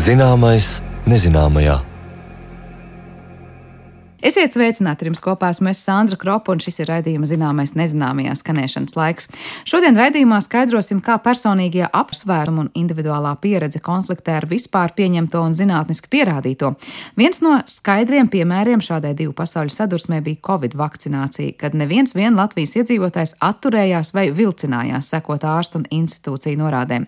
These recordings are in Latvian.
Zināmais nezināmajā. Esiet sveicināti, ar jums kopā esmu Sandra Kropa, un šis ir raidījuma Zināmais nezināmajā skanēšanas laiks. Šodien raidījumā skaidrosim, kā personīgie apsvērumi un individuālā pieredze konfliktē ar vispār pieņemto un zinātniski pierādīto. Viens no skaidriem piemēriem šādai divu pasauļu sadursmē bija Covid vakcinācija, kad neviens vien Latvijas iedzīvotājs atturējās vai vilcinājās sekot ārstu un institūciju norādēm.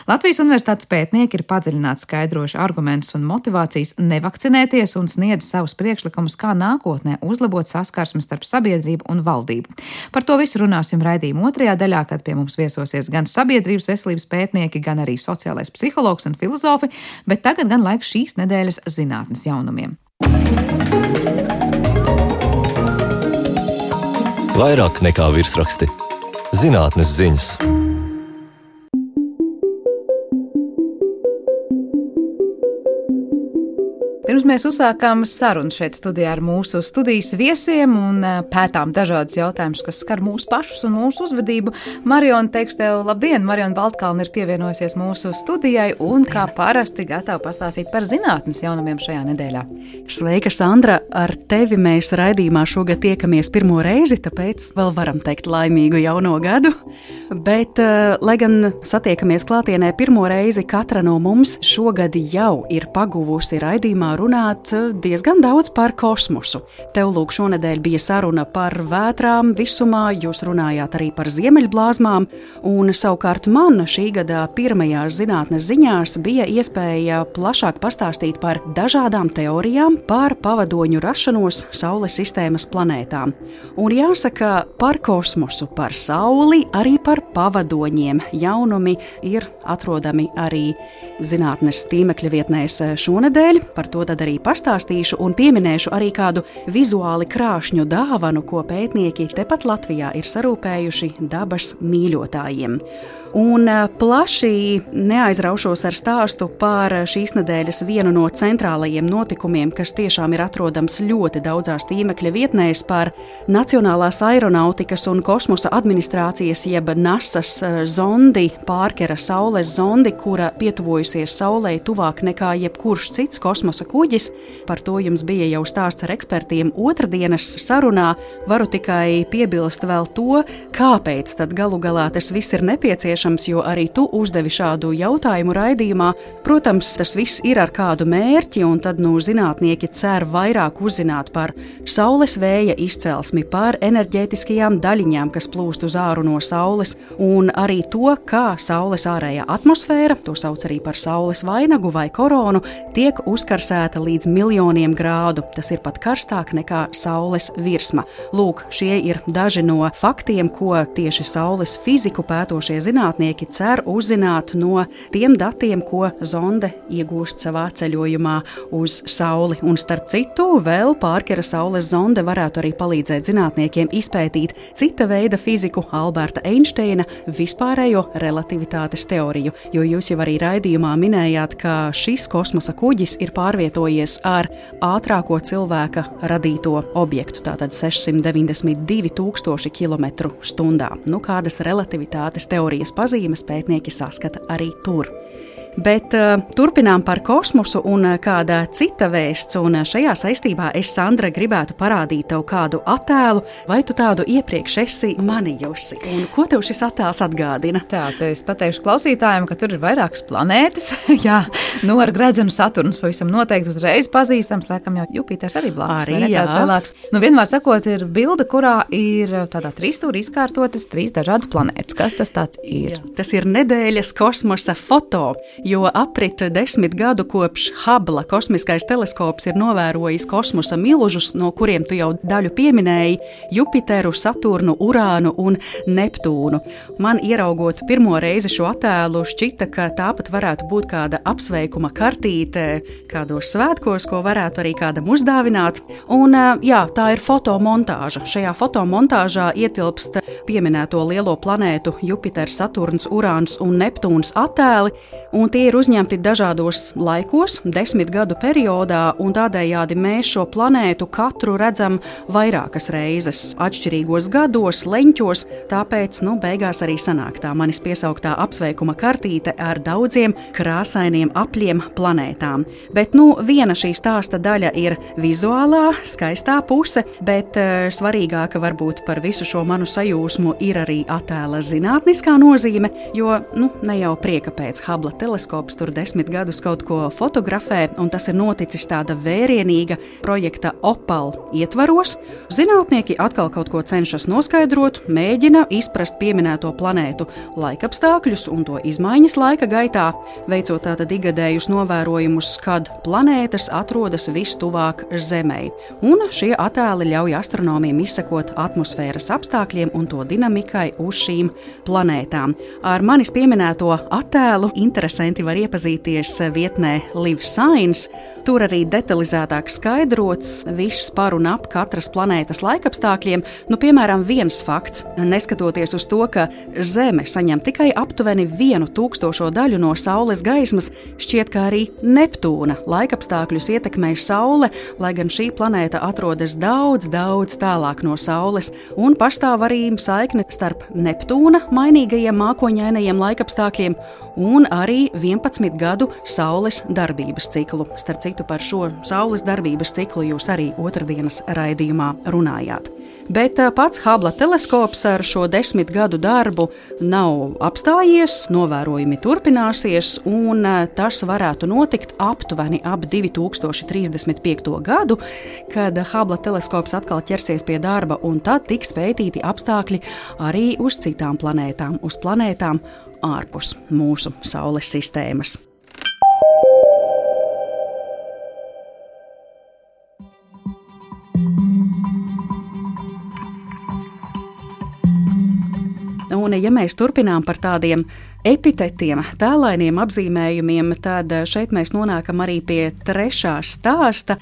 Latvijas universitātes pētnieki ir padziļināti skaidrojuši argumentus un motivācijas nevakcinēties un sniedz savus priekšlikumus, kā nākotnē uzlabot saskarsmi starp sabiedrību un valdību. Par to visu runāsim raidījuma otrajā daļā, kad pie mums viesosies gan sabiedrības veselības pētnieki, gan arī sociālais psihologs un filozofi, bet tagad gan laiks šīs nedēļas zinātnes jaunumiem. Vairāk nekā virsraksti. Zinātnes ziņas. Pirms mēs uzsākām sarunu šeit studijā ar mūsu studijas viesiem un pētām dažādas jautājumus, kas skar mūsu pašus un mūsu uzvedību. Mariona, teikšu tev labdien! Mariona Baltkalne ir pievienojusies mūsu studijai un, kā parasti, gatava pastāstīt par zinātnes jaunumiem šajā nedēļā. Sveika, Sandra! Ar tevi mēs raidījumā šogad tiekamies pirmo reizi, tāpēc vēl varam teikt laimīgu jauno gadu. Bet, lai gan satiekamies klātienē pirmo reizi, katra no mums šogad jau ir paguvusi raidījumā runāt diezgan daudz par kosmosu. Tev lūk šonedēļ bija saruna par vētrām visumā, jūs runājāt arī par ziemeļblāzmām, un savukārt man šī gada pirmajās zinātnes ziņās bija iespēja plašāk pastāstīt par dažādām teorijām par pavadoņu rašanos Saules sistēmas planētām. Un jāsaka, par kosmosu, par Sauli, arī par pavadoņiem jaunumi ir atrodami arī zinātnes tīmekļa vietnēs šonedēļ. Par to tad arī pastāstīšu un pieminēšu arī kādu vizuāli krāšņu dāvanu, ko pētnieki tepat Latvijā ir sarūpējuši dabas mīļotājiem. Un plaši neaizraušos ar stāstu par šīs nedēļas vienu no centrālajiem notikumiem, kas tiešām ir atrodams ļoti daudzās tīmekļa vietnēs, par Nacionālās aeronautikas un kosmosa administrācijas jeb NASAs zondi, Pārkera Saules zondi, kura pietuvojusies Saulei tuvāk nekā jebkurš cits kosmosa kuģis. Par to jums bija jau stāsts ar ekspertiem otrdienas sarunā. Varu tikai piebilst vēl to, kāpēc tad galu galā tas viss ir nepieciešams, jo arī tu uzdevi šādu jautājumu raidījumā. Protams, tas viss ir ar kādu mērķi, un tad zinātnieki cer vairāk uzzināt par Saules vēja izcelsmi, par enerģētiskajām daļiņām, kas plūst uz āru no Saules, un arī to, kā Saules ārējā atmosfēra, to sauc arī par Saules vainagu vai koronu, tiek uzkarsēta līdz miljoniem grādu. Tas ir pat karstāk nekā Saules virsma. Lūk, šie ir daži no faktiem, ko tieši Saules fiziku pētošie zinātnieki cer uzzināt no tiem datiem, ko zonde iegūst savā ceļojumā uz Sauli. Un starp citu, vēl Pārkera Saules zonde varētu arī palīdzēt zinātniekiem izpētīt cita veida fiziku, Alberta Einsteina vispārējo relativitātes teoriju, jo jūs jau arī raidījumā minējāt, ka šis kosmosa kuģis ir pārvietojies ar ātrāko cilvēka radīto objektu, tātad 692 000 km/h. Kādas relativitātes teorijas pazīmes pētnieki saskata arī tur. Bet turpinām par kosmosu un kāda cita vēsts, un šajā saistībā es, Sandra, gribētu parādīt tev kādu attēlu, vai tu tādu iepriekš esi manījusi. Un ko tev šis attēls atgādina? Tā, es pateikšu klausītājiem, ka tur ir vairākas planētas. Jā, ar gredzenu Saturns pavisam noteikti uzreiz pazīstams, laikam jau Jupiters arī blāks, vai ne tās lielāks. Vienmēr sakot, ir bilde, kurā ir tādā trīsstūrī izkārtotas 3 dažādas planētas. Kas tas tāds ir? Jā, tas ir nedēļas kosmosa foto. Jo aprit 10 gadu kopš Hubble kosmiskais teleskops ir novērojis kosmosa milžus, no kuriem tu jau daļu pieminēji - Jupiteru, Saturnu, Urānu un Neptūnu. Man ieraugot pirmo reizi šo attēlu šķita, ka tāpat varētu būt kāda apsveikuma kartīte kādos svētkos, ko varētu arī kādam uzdāvināt. Un jā, tā ir fotomontāža. Šajā fotomontāžā ietilpst pieminēto lielo planētu Jupiters, Saturns, Urāns un Neptūns attēli. un tie ir uzņemti dažādos laikos, 10 gadu periodā, un tādējādi mēs šo planētu katru redzam vairākas reizes, atšķirīgos gados, leņķos, tāpēc, beigās arī sanāk tā manis piesauktā apsveikuma kartīte ar daudziem krāsainiem apļiem planētām. Bet, viena šī stāsta daļa ir vizuālā, skaistā puse, bet svarīgāka varbūt par visu šo manu sajūsmu ir arī attēla zinātniskā nozīme, jo, ne jau prieka pēc Hubble teleskops tur 10 gadus kaut ko fotografē, un tas ir noticis tāda vērienīga projekta Opal ietvaros. Zinātnieki atkal kaut ko cenšas noskaidrot, mēģina izprast pieminēto planētu laikapstākļus un to izmaiņas laika gaitā, veicot tātad ikgadējus novērojumus, kad planētas atrodas vistuvāk Zemei. Un šie attēli ļauj astronomiem izsekot atmosfēras apstākļiem un to dinamikai uz šīm planētām. Ar manis pieminēto attēlu interesanti var iepazīties vietnē Live Science. Tur arī detalizētāk skaidrots viss par un ap katras planētas laikapstākļiem. Piemēram, viens fakts, neskatoties uz to, ka Zeme saņem tikai aptuveni 1/1000 daļu no Saules gaismas, šķiet, ka arī Neptūna laikapstākļus ietekmē Saule, lai gan šī planēta atrodas daudz, daudz tālāk no Saules, un pastāv arī saikne starp Neptūna mainīgajiem mākoņainajiem laikapstākļiem un arī 11 gadu Saules darbības ciklu. Starp citu, par šo Saules darbības ciklu jūs arī otrdienas raidījumā runājāt. Bet pats Hubble teleskops ar šo 10 gadu darbu nav apstājies, novērojumi turpināsies, un tas varētu notikt aptuveni ap 2035. gadu, kad Hubble teleskops atkal ķersies pie darba, un tad tiks pētīti apstākļi arī uz citām planētām, uz planētām ārpus mūsu Saules sistēmas. Un, ja mēs turpinām par tādiem epitetiem, tēlainiem apzīmējumiem, tad šeit mēs nonākam arī pie trešā stāsta.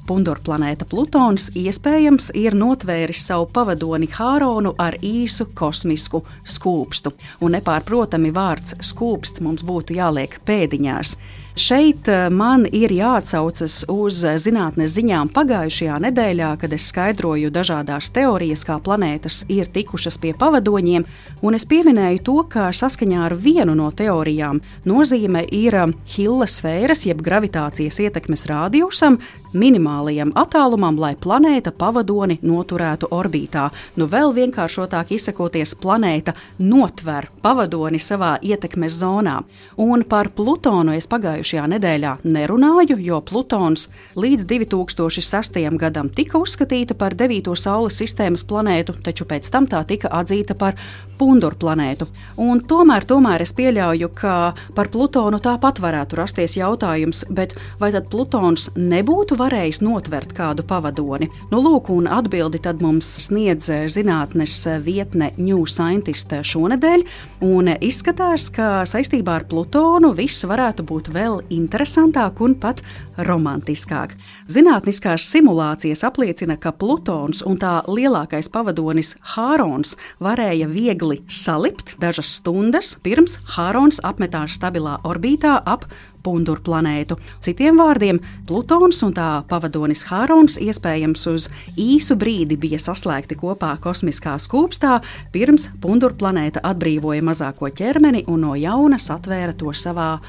Pundurplanēta Plutons iespējams ir notvēris savu pavadoni Hāronu ar īsu kosmisku skūpstu. Un nepārprotami vārds skūpsts mums būtu jāliek pēdiņās. Šeit man ir jāatsaucas uz zinātnes ziņām pagājušajā nedēļā, kad es skaidroju dažādās teorijas, kā planētas ir tikušas pie pavadoņiem, un es pieminēju to, ka saskaņā ar vienu no teorijām nozīme ir Hilla sfēras, jeb gravitācijas ietekmes rādījusam, minimālajam attālumam, lai planēta pavadoni noturētu orbītā. Vēl vienkāršotāk izsakoties, planēta notver pavadoni savā ietekmes zonā. Un par Plutonu es pagājušajā nedēļā nerunāju, jo Plutons līdz 2006. gadam tika uzskatīta par 9. Saules sistēmas planētu, taču pēc tam tā tika atzīta par Pundurplanētu. Un tomēr es pieļauju, ka par Plutonu tāpat varētu rasties jautājums, bet vai tad Plutons nebūtu varējis notvert kādu pavadoni? Lūk, un atbildi tad mums sniedz zinātnes vietne New Scientist šonedēļ, un izskatās, ka saistībā ar Plutonu viss varētu būt vēl interesantāk un pat romantiskāk. Zinātniskās simulācijas apliecina, ka Plutons un tā lielākais pavadonis Hārons varēja viegli salipt dažas stundas pirms Hārons apmetās stabilā orbītā ap Pundurplanētu. Citiem vārdiem, Plutons un tā pavadonis Hārons iespējams uz īsu brīdi bija saslēgti kopā kosmiskā skūpstā, pirms Pundurplanēta atbrīvoja mazāko ķermeni un no jauna satvēra to savā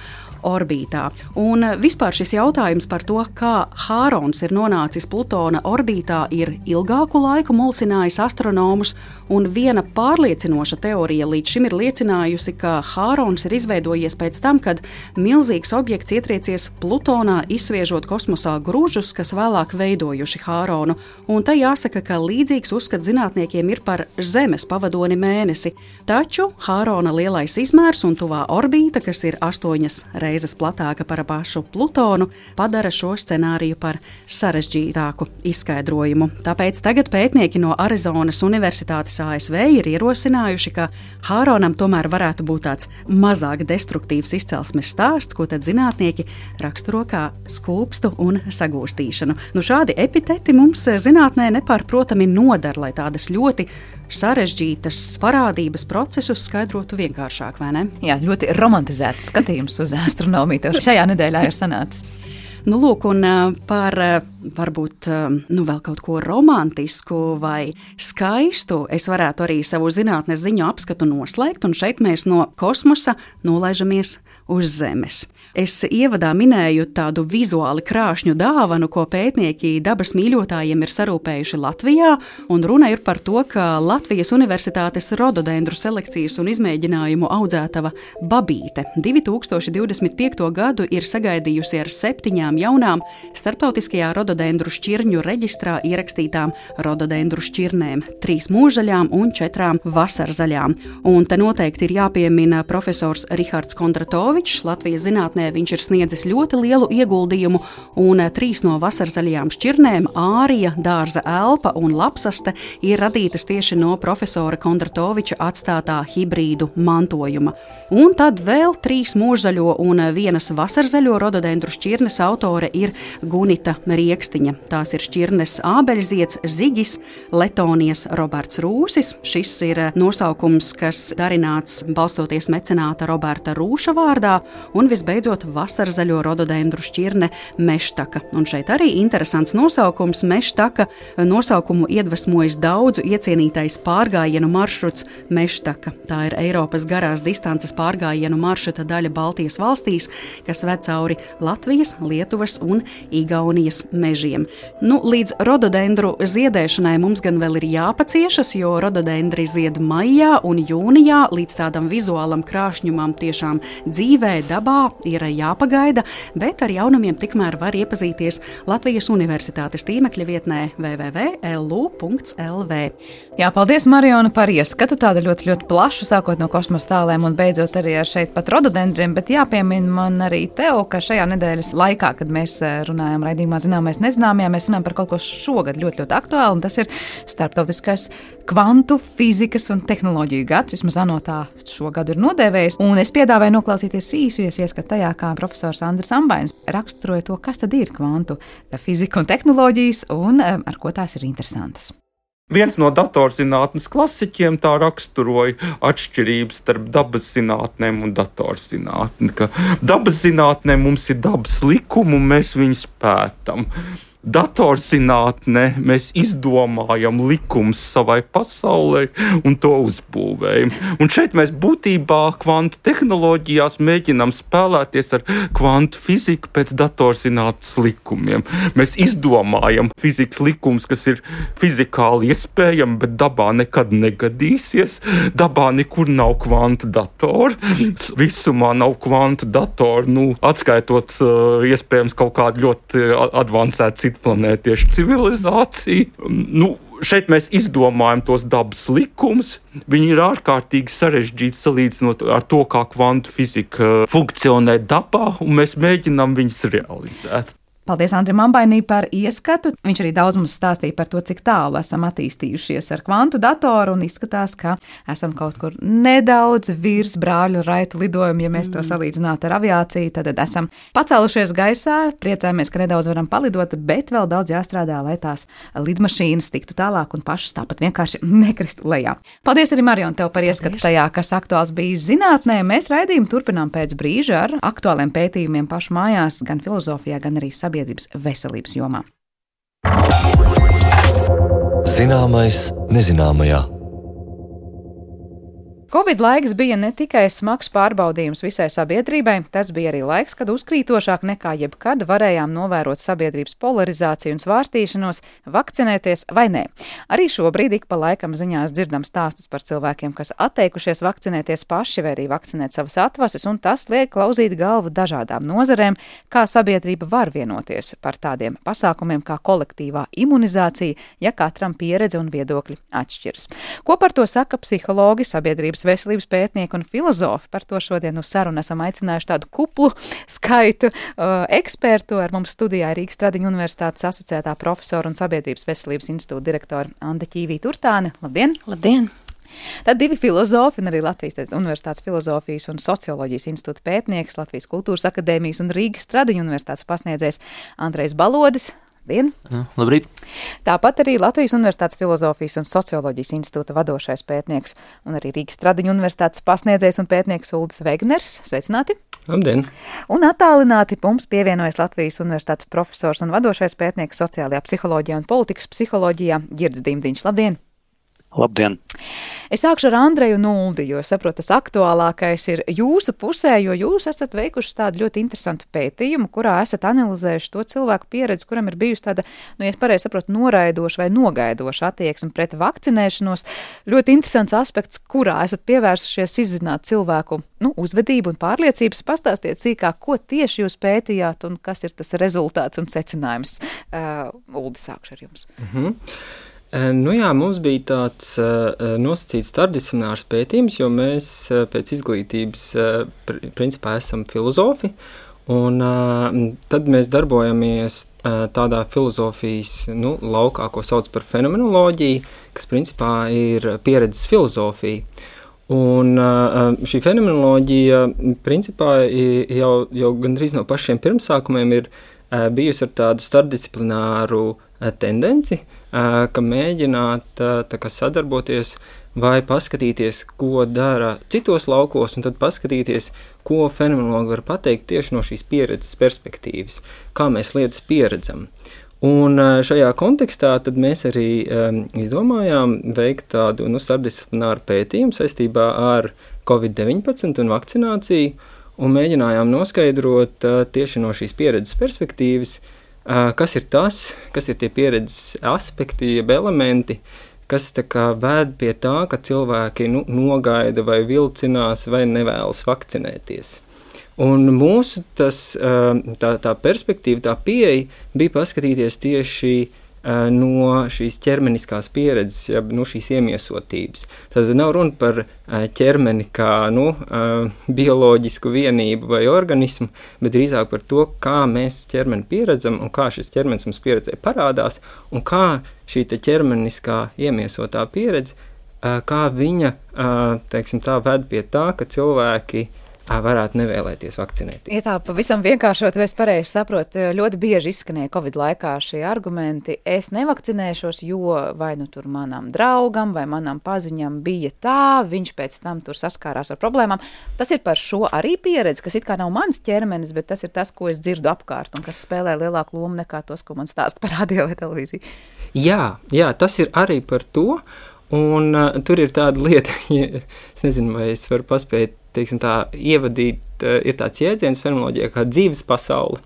orbītā. Un vispār šis jautājums par to, kā Hārons ir nonācis Plutona orbītā, ir ilgāku laiku mulsinājis astronomus, un viena pārliecinoša teorija līdz šim ir liecinājusi, ka Hārons ir izveidojies pēc tam, kad milzīgs objekts ietriecies Plutonā, izsviežot kosmosā gružus, kas vēlāk veidojuši Hāronu. Un te jāsaka, ka līdzīgs uzskats zinātniekiem ir par Zemes pavadoni Mēnesi. Taču Hārona lielais izmērs un tuvā orbīta, kas ir 8 reizes platāka par pašu Plutonu, padara šo scenāriju par sarežģītāku izskaidrojumu. Tāpēc tagad pētnieki no Arizonas Universitātes ASV ir ierosinājuši, ka Hāronam tomēr varētu būt tāds mazāk destruktīvs izcelsmes stāsts, ko tad zinātnieki raksturo kā skūpstu un sagūstīšanu. Šādi epiteti mums zinātnē nepārprotami nodara, lai tādas ļoti sarežģītas parādības procesus skaidrotu vienkāršāk, vai ne? Jā, ļoti romantizēts skatījums uz astronomiju tev šajā nedēļā ir sanācis. Lūk, un par varbūt vēl kaut ko romantisku vai skaistu es varētu arī savu zinātnes ziņu apskatu noslēgt, un šeit mēs no kosmosa nolaižamies uz Zemes. Es ievadā minēju tādu vizuāli krāšņu dāvanu, ko pētnieki dabas mīļotājiem ir sarūpējuši Latvijā, un runa ir par to, ka Latvijas Universitātes rododendru selekcijas un izmēģinājumu audzētava babīte 2025. gadu ir sagaidījusi ar 7 jaunām starptautiskajā rododendru šķirņu reģistrā ierakstītām rododendru šķirnēm, 3 mūžzaļām un 4 vasarzaļām. Un te noteikti ir jāpiemina profesors Rihards Kondratovičs. Latvijas zinātnē viņš ir sniedzis ļoti lielu ieguldījumu, un 3 no vasarzaļajām šķirnēm, ārija, dārza elpa un lapsaste, ir radītas tieši no profesora Kondratoviča atstātā hibrīdu mantojuma. Un tad vēl 3 mūžzaļo un 1 vasarzaļo rododendru šķirnes autore ir Gunita Riekstiņa. Tās ir šķirnes ābeļzieds, Zigis, Letonijas Roberts Rūsis. Šis ir nosaukums, kas darināts balstoties mecenāta Roberta Rūša vārdā, un visbeidzot vasarzaļo rododendru šķirne Meštaka. Un šeit arī interesants nosaukums Meštaka. Nosaukumu iedvesmojas daudzu iecienītais pārgājienu maršruts Meštaka. Tā ir Eiropas garās distances pārgājienu maršruta daļa Baltijas valstīs, kas ved cauri Latvijas, Lietuvas un Igaunijas mežiem. Līdz rododendru ziedēšanai mums gan vēl ir jāpaciešas, jo rododendri zied maijā un jūnijā. Līdz tādam vizuālam krāšņumam tiešām dzīvē, dabā ir jāpagaida, bet ar jaunumiem tikmēr var iepazīties Latvijas Universitātes tīmekļa vietnē www.lu.lv. Jā, paldies, Mariona, par ieskatu, tāda ļoti, ļoti plašu, sākot no kosmosa tālēm un beidzot arī ar šeit pat rododendriem, bet jāpiemina man arī tev, ka šajā nedēļas laikā, kad mēs runājam raidījumā Zināmais nezināmajā, mēs runājam par kaut ko šogad ļoti, ļoti aktuāli, un tas ir starptautiskais kvantu fizikas un tehnoloģiju gads, vismaz ANO tā šogad ir nodēvējis, un es piedāvāju noklausīties īsu ieskatu tajā, kā profesors Andris Ambainis raksturoja to, kas tad ir kvantu fizika un tehnoloģijas, un ar ko tās ir interesantas. Viens no datorzinātnes klasiķiem tā raksturoja atšķirības starp dabas zinātnēm un datorzinātni, ka dabas zinātnē mums ir dabas likumi un mēs viņus pētam. Datorzinātnē mēs izdomājam likumus savai pasaulē un to uzbūvējam. Un šeit mēs būtībā kvantu tehnoloģijās mēģinām spēlēties ar kvantu fiziku pēc datorzinātnes likumiem. Mēs izdomājam fizikas likumus, kas ir fizikāli iespējami, bet dabā nekad negadīsies. Dabā nekur nav kvantu datoru. Visumā nav kvantu datoru, atskaitot iespējams kaut kādu ļoti advancētu planētiešu civilizāciju. Šeit mēs izdomājam tos dabas likumus. Viņi ir ārkārtīgi sarežģīti salīdzinot ar to, kā kvantu fizika funkcionē dabā, un mēs mēģinām viņus realizēt. Paldies Andrim Ambainim par ieskatu. Viņš arī daudz mums stāstīja par to, cik tālu esam attīstījušies ar kvantu datoru, un izskatās, ka esam kaut kur nedaudz virs brāļu raitu lidojumu, ja mēs to salīdzinātu ar aviāciju. Tad esam pacēlušies gaisā, priecājamies, ka nedaudz varam palidot, bet vēl daudz jāstrādā, lai tās lidmašīnas tiktu tālāk un pašas tāpat vienkārši nekristu lejā. Paldies arī, Marion, tev par ieskatu tajā, kas aktuāls bijis zinātnē. Mēs raidījumu turpinām pēc brīža ar aktuāliem pētījumiem pašu mājās, gan filozofijā, gan arī sabiedrības veselības jomā. Zināmais nezināmajā. Covid laiks bija ne tikai smags pārbaudījums visai sabiedrībai, tas bija arī laiks, kad uzkrītošāk nekā jebkad varējām novērot sabiedrības polarizāciju un svārstīšanos, vakcinēties vai nē. Arī šobrīd ik pa laikam ziņās dzirdam stāstus par cilvēkiem, kas atteikušies vakcinēties paši vai arī vakcinēt savas atvases, un tas liek klauzīt galvu dažādām nozarēm, kā sabiedrība var vienoties par tādiem pasākumiem kā kolektīvā imunizācija, ja katram pieredze un viedokļi atšķiras. Ko par to saka psihologi, sabiedrības veselības pētnieki un filozofi? Par to šodien uz sarunu esam aicinājuši tādu kuplu skaitu ekspertu. Ar mums studijā Rīgas Tradiņu Universitātes asociētā profesora un Sabiedrības veselības institūta direktora Anda Ķīvī Turtāne. Labdien! Labdien! Tad divi filozofi un arī Latvijas Universitātes filozofijas un socioloģijas institūta pētnieks, Latvijas Kultūras akadēmijas un Rīgas Stradiņu universitātes pasniedzējs Andrejs Balodis. Labdien! Labrīt! Tāpat arī Latvijas Universitātes filozofijas un socioloģijas institūta vadošais pētnieks un arī Rīgas Stradiņu universitātes pasniedzējs un pētnieks Uldis Vegners. Sveicināti! Labdien! Un attālināti mums pievienojas Latvijas Universitātes profesors un vadošais pētnieks sociālajā psiholoģijā un politikas psiholoģijā Girds Dimdiņš. Labdien! Labdien! Es sākšu ar Andreju un Uldi, jo saprotu, tas aktuālākais ir jūsu pusē, jo jūs esat veikuši tādu ļoti interesantu pētījumu, kurā esat analizējuši to cilvēku pieredzi, kuram ir bijusi tāda, ja pareizi saprotu, noraidoša vai nogaidoša attieksme pret vakcinēšanos. Ļoti interesants aspekts, kurā esat pievērsušies izzināt cilvēku uzvedību un pārliecības. Pastāstiet sīkāk, ko tieši jūs pētījāt un kas ir tas rezultāts un secinājums. Uldi, sākšu ar jums. Mums bija tāds nosacīts starpdisciplinārs pētījums, jo mēs pēc izglītības principā esam filozofi, un tad mēs darbojamies tādā filozofijas laukā, ko sauc par fenomenoloģiju, kas principā ir pieredzes filozofija. Un šī fenomenoloģija principā jau gandrīz no pašiem pirmsākumiem ir bijusi ar tādu starpdisciplināru tendenci, ka mēģināt sadarboties vai paskatīties, ko dara citos laukos, un tad paskatīties, ko fenomenologi var pateikt tieši no šīs pieredzes perspektīvas, kā mēs lietas pieredzam. Un šajā kontekstā tad mēs arī izdomājām veikt tādu starpdisciplināru pētījumu saistībā ar COVID-19 un vakcināciju, un mēģinājām noskaidrot tieši no šīs pieredzes perspektīvas, kas ir tas, kas ir tie pieredzes aspekti, jeb elementi, kas vēd pie tā, ka cilvēki nogaida vai vilcinās vai nevēlas vakcinēties. Un mūsu tā perspektīva, tā pieeja bija paskatīties tieši no šīs ķermeniskās pieredzes, jeb šīs iemiesotības. Tad nav runa par ķermeni kā bioloģisku vienību vai organismu, bet drīzāk par to, kā mēs ķermeni pieredzam un kā šis ķermenis mums pieredzē parādās un kā šī ķermeniskā iemiesotā pieredze, kā viņa, ved pie tā, ka cilvēki varētu nevēlēties vakcinēties. Ja tā pavisam vienkāršot, vai es pareizi saprotu, ļoti bieži izskanēja Covid laikā šie argumenti. Es nevakcinēšos, jo vai tur manam draugam vai manam paziņam bija tā, viņš pēc tam tur saskārās ar problēmām. Tas ir par šo arī pieredzi, kas it kā nav mans ķermenis, bet tas ir tas, ko es dzirdu apkārt un kas spēlē lielāku lomu nekā tos, ko man stāsta par radio vai televīziju. Jā, tas ir arī par to, un tur ir tāda lieta, es nezinu, vai es varu paspēt, ievadīt, ir tāds jēdziens fenomenoloģijā kā dzīves pasaule.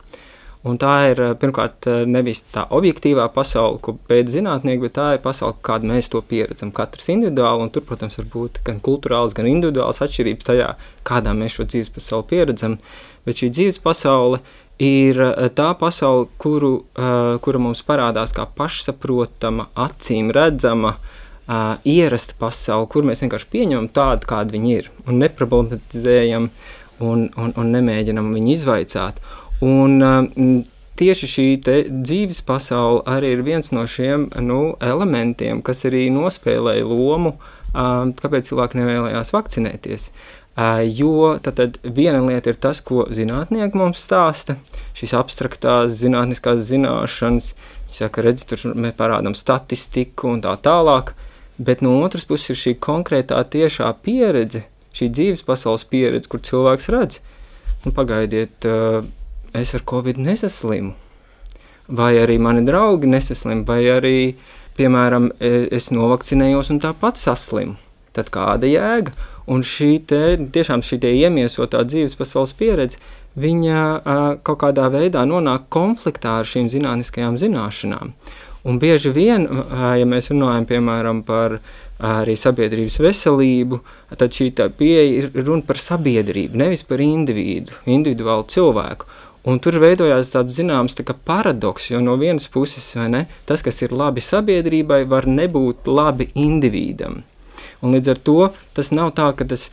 Un tā ir, pirmkārt, nevis tā objektīvā pasaule, ko pēta zinātnieki, bet tā ir pasaule, kādu mēs to pieredzam, katrs individuāli, un tur, protams, var būt gan kulturāls, gan individuāls atšķirības tajā, kādā mēs šo dzīves pasauli pieredzam. Bet šī dzīves pasaule ir tā pasaule, kura mums parādās kā pašsaprotama, acīm redzama, ierasta pasauli, kur mēs vienkārši pieņemam tādu, kāda viņi ir, un neproblematizējam un nemēģinam viņu izvaicāt. Un tieši šī dzīves pasaule arī ir viens no šiem elementiem, kas arī nospēlēja lomu, kāpēc cilvēki nevēlējās vakcinēties. Jo tad viena lieta ir tas, ko zinātnieki mums stāsta, šīs abstraktās zinātniskās zināšanas, viņi saka, redz, tur mēs parādām statistiku un tā tālāk, bet no otras puses ir šī konkrētā tiešā pieredze, šī dzīves pasaules pieredze, kur cilvēks redz, pagaidiet, es ar Covid nesaslimu, vai arī mani draugi nesaslim, vai arī, piemēram, es novakcinējos un tāpat saslimu. Tad kāda jēga? Un tiešām šī iemiesotā dzīves pasaules pieredze, viņa kaut kādā veidā nonāk konfliktā ar šīm zinātniskajām zināšanām. Un bieži vien, ja mēs runājam, piemēram, par arī sabiedrības veselību, tad šī pieeja ir runa par sabiedrību, nevis par individuālu cilvēku. Un tur veidojās tāds zināms paradoks, jo no vienas puses, tas, kas ir labi sabiedrībai, var nebūt labi individam. Un līdz ar to tas nav tā, ka tas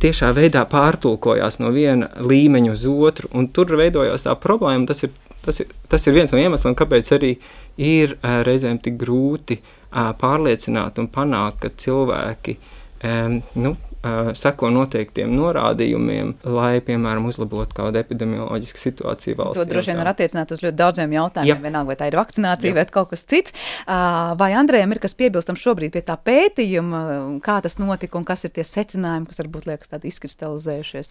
tiešā veidā pārtulkojās no viena līmeņa uz otru, un tur veidojās tā problēma. Tas ir viens no iemesliem, kāpēc arī ir reizēm tik grūti pārliecināt un panākt, ka cilvēki seko noteiktiem norādījumiem, lai, piemēram, uzlabotu kādu epidemioloģisku situāciju valstī. To droši vien var attiecināt uz ļoti daudziem jautājumiem, vienalga, vai tā ir vakcinācija vai kaut kas cits. Vai Andrejam ir kas piebilstam šobrīd pie tā pētījuma, kā tas notika un kas ir tie secinājumi, kas varbūt liekas tādi izkristalizējušies?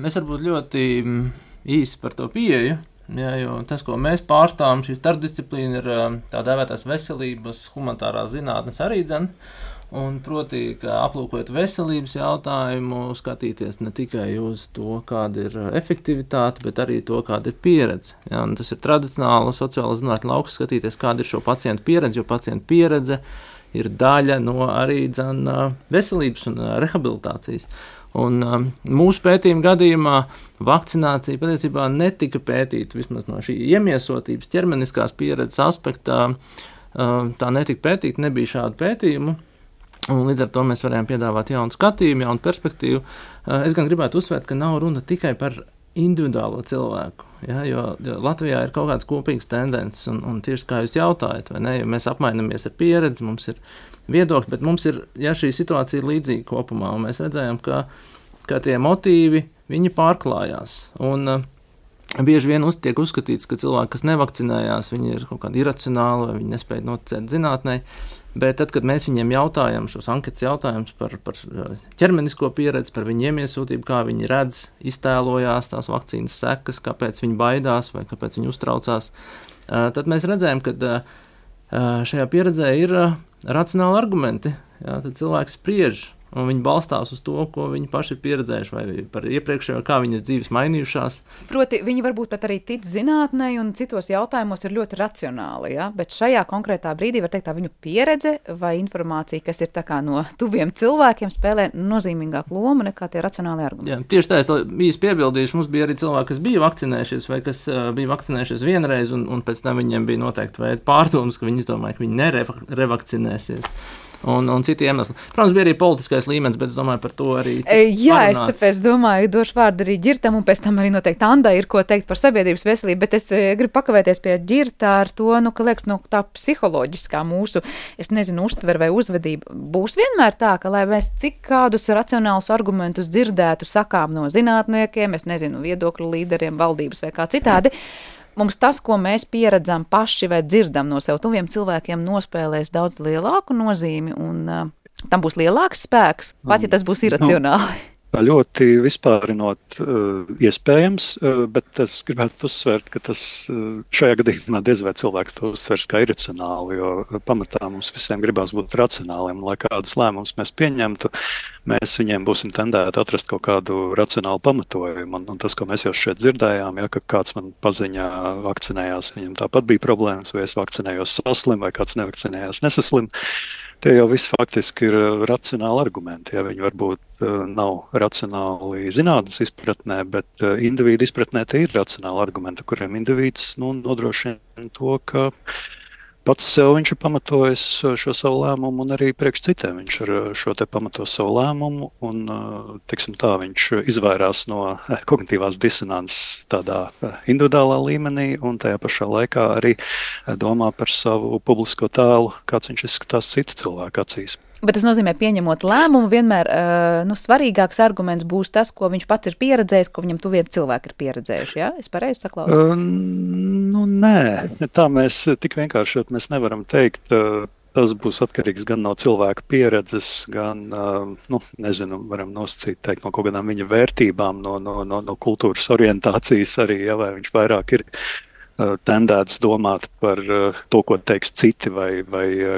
Es varbūt ļoti īsi par to pieeju. Jā, jo tas, ko mēs pārstāvam, šī starpdisciplīna ir tā dēvētās veselības, humanitārās zinātnes arī dzen. Un proti, ka aplūkojot veselības jautājumu, skatīties ne tikai uz to, kāda ir efektivitāte, bet arī to, kāda ir pieredze. Jā, un tas ir tradicionāli sociāla zinātņu lauks, skatīties, kāda ir šo pacientu pieredze, jo pacientu pieredze ir daļa no arī veselības un rehabilitācijas. Un mūsu pētījuma gadījumā vakcinācija patiesībā netika pētīta vismaz no šī iemiesotības ķermeniskās pieredzes aspektā. Tā netika pētīta, nebija šādu pētījumu. Un līdz ar to mēs varējām piedāvāt jaunu skatījumu, jaunu perspektīvu. Es gan gribētu uzsvērt, ka nav runa tikai par individuālo cilvēku, ja, jo Latvijā ir kaut kādas kopīgas tendences, un tieši kā jūs jautājat, vai ne, jo mēs apmainamies ar pieredzi, mums ir viedokļi, bet mums ir, ja šī situācija ir līdzīga kopumā, un mēs redzējām, ka tie motīvi, viņi pārklājās, un bieži vien tiek uzskatīts, ka cilvēki, kas nevakcinējās, viņi ir kaut kādi iracionāli, vai viņi nespēja noticēt zinātnei. Bet tad, kad mēs viņiem jautājam šos anketas jautājumus par ķermenisko pieredzi, par viņu iemiesūtību, kā viņi redz, iztēlojās tās vakcīnas sekas, kāpēc viņi baidās vai kāpēc viņi uztraucās, tad mēs redzējām, ka šajā pieredzē ir racionāli argumenti. Jā, tad cilvēks spriež, un viņi balstās uz to, ko viņi paši ir pieredzējuši, vai par iepriekšējo, kā viņas dzīves mainījušās. Proti, viņi varbūt pat arī tic zinātnei un citos jautājumos ir ļoti racionāli, ja? Bet šajā konkrētā brīdī var teikt, tā viņu pieredze vai informācija, kas ir tā kā no tuviem cilvēkiem, spēlē nozīmīgāku lomu nekā tie racionāli argumenti. Jā, tieši tā, es īsti piebildīšu, mums bija arī cilvēki, kas bija vakcinējušies vai kas bija vakcinējušies vienreiz, un pēc tam viņiem bija noteikti veidi pārdomas, ka viņi izdomāja, ka viņi nerevakcinēsies. Un citi iemesli. Protams, bija arī politiskais līmenis, bet es domāju par to arī. Jā, es tāpēc domāju, došu vārdu arī Ģirtam, un pēc tam arī noteikti Andai ir ko teikt par sabiedrības veselību, bet es gribu pakavēties pie Ģirta ar to, ka liekas, tā psiholoģiskā mūsu, es nezinu, uztver vai uzvedība būs vienmēr tā, ka lai mēs cik kādus racionālus argumentus dzirdētu sakām no zinātniekiem, es nezinu, viedokļu līderiem, valdības vai kā citādi, mums tas, ko mēs pieredzam paši vai dzirdam no sev tuviem cilvēkiem, nospēlēs daudz lielāku nozīmi un tam būs lielāks spēks, pat ja tas būs iracionāli. Ļoti vispārinot iespējams, bet es gribētu uzsvērt, ka tas šajā gadījumā diez vai cilvēks to uztvers kā iracionāli, jo pamatā mums visiem gribās būt racionāliem, lai kādas lēmumus mēs pieņemtu, mēs viņiem būsim tendēti atrast kaut kādu racionālu pamatojumu. Un tas, ko mēs jau šeit dzirdējām, ja, ka kāds man paziņā vakcinējās, viņam tāpat bija problēmas, vai es vakcinējos saslim, vai kāds nevakcinējās nesaslim. Tie jau visi faktiski ir racionāli argumenti. Ja viņi varbūt nav racionāli zinātnes izpratnē, bet individu izpratnē tie ir racionāli argumenti, kuriem indivīds nodrošina to, ka pats sev viņš ir pamatojis šo savu lēmumu un arī priekš citiem viņš ar šo te pamato savu lēmumu un, teiksim tā, viņš izvairās no kognitīvās disonances tādā individuālā līmenī un tajā pašā laikā arī domā par savu publisko tēlu, kāds viņš izskatās citu cilvēku acīs. Bet tas nozīmē, pieņemot lēmumu, vienmēr svarīgāks arguments būs tas, ko viņš pats ir pieredzējis, ko viņam tuviem cilvēki ir pieredzējuši. Ja? Es pareizi saklausu? Nē, tā mēs tik vienkārši mēs nevaram teikt. Tas būs atkarīgs gan no cilvēka pieredzes, gan, varam nosacīt teikt, no kaut kādām viņa vērtībām, no kultūras orientācijas arī, ja, vai viņš vairāk ir tendēts domāt par to, ko teiks citi, vai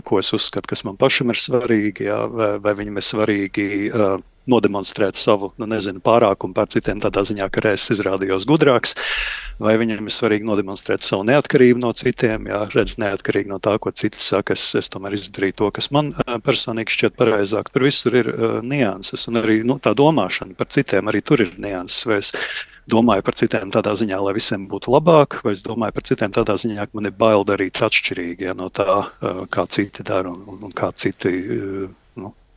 ko es uzskatu, kas man pašam ir svarīgi, jā, vai viņam ir svarīgi nodemonstrēt savu, pārākumu pār citiem tādā ziņā, ka es izrādījos gudrāks, vai viņam ir svarīgi nodemonstrēt savu neatkarību no citiem, jā, redz neatkarīgi no tā, ko citi saka, es tomēr izdarīju to, kas man personīgi šķiet pareizāk. Tur visur ir nianses, un arī tā domāšana par citiem, arī tur ir nianses, vai es domāju par citiem tādā ziņā, lai visiem būtu labāk, vai es domāju par citiem tādā ziņā, ka man ir bail darīt atšķirīgi, ja, no tā, kā citi dara un kā citi